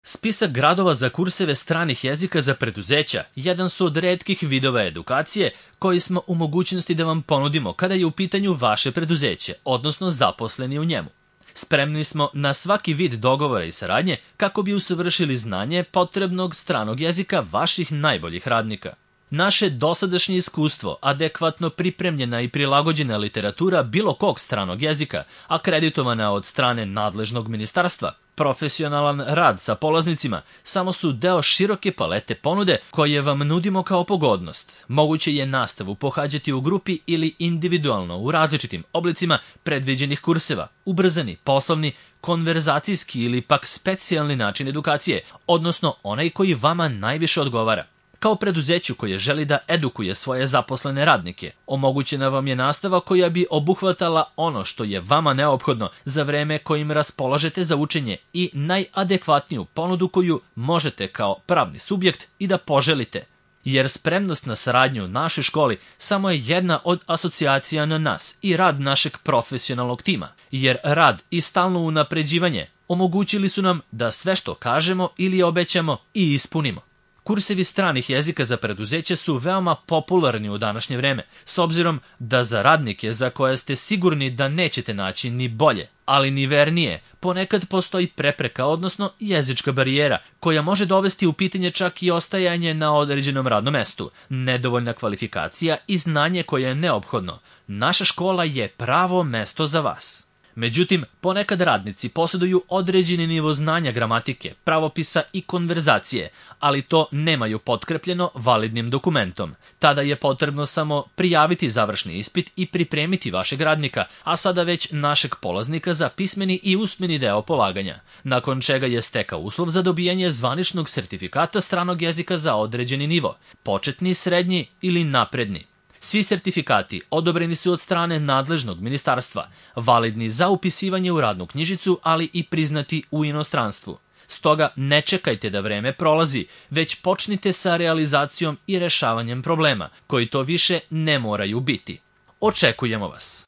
Spisak gradova za kurseve stranih jezika za preduzeća jedan su od retkih vidova edukacije koji smo u mogućnosti da vam ponudimo kada je u pitanju vaše preduzeće, odnosno zaposleni u njemu. Spremni smo na svaki vid dogovora i saradnje kako bi usavršili znanje potrebnog stranog jezika vaših najboljih radnika. Naše dosadašnje iskustvo, adekvatno pripremljena i prilagođena literatura bilo kog stranog jezika, akreditovana od strane nadležnog ministarstva, profesionalan rad sa polaznicima, samo su deo široke palete ponude koje vam nudimo kao pogodnost. Moguće je nastavu pohađati u grupi ili individualno u različitim oblicima predviđenih kurseva, ubrzani, poslovni, konverzacijski ili pak specijalni način edukacije, odnosno onaj koji vama najviše odgovara. Kao preduzeću koje želi da edukuje svoje zaposlene radnike, omogućena vam je nastava koja bi obuhvatala ono što je vama neophodno za vreme kojim raspolažete za učenje i najadekvatniju ponudu koju možete kao pravni subjekt i da poželite. Jer spremnost na saradnju u našoj školi samo je jedna od asocijacija na nas i rad našeg profesionalnog tima, jer rad i stalno unapređivanje omogućili su nam da sve što kažemo ili obećamo i ispunimo. Kursevi stranih jezika za preduzeće su veoma popularni u današnje vreme, s obzirom da za radnike za koje ste sigurni da nećete naći ni bolje, ali ni vernije, ponekad postoji prepreka, odnosno jezička barijera, koja može dovesti u pitanje čak i ostajanje na određenom radnom mestu, nedovoljna kvalifikacija i znanje koje je neophodno. Naša škola je pravo mesto za vas. Međutim, ponekad radnici posjeduju određeni nivo znanja gramatike, pravopisa i konverzacije, ali to nemaju potkrepljeno validnim dokumentom. Tada je potrebno samo prijaviti završni ispit i pripremiti vašeg radnika, a sada već našeg polaznika za pismeni i usmeni deo polaganja, nakon čega je stekao uslov za dobijanje zvaničnog sertifikata stranog jezika za određeni nivo, početni, srednji ili napredni. Svi sertifikati odobreni su od strane nadležnog ministarstva, validni za upisivanje u radnu knjižicu, ali i priznati u inostranstvu. Stoga ne čekajte da vreme prolazi, već počnite sa realizacijom i rešavanjem problema, koji to više ne moraju biti. Očekujemo vas!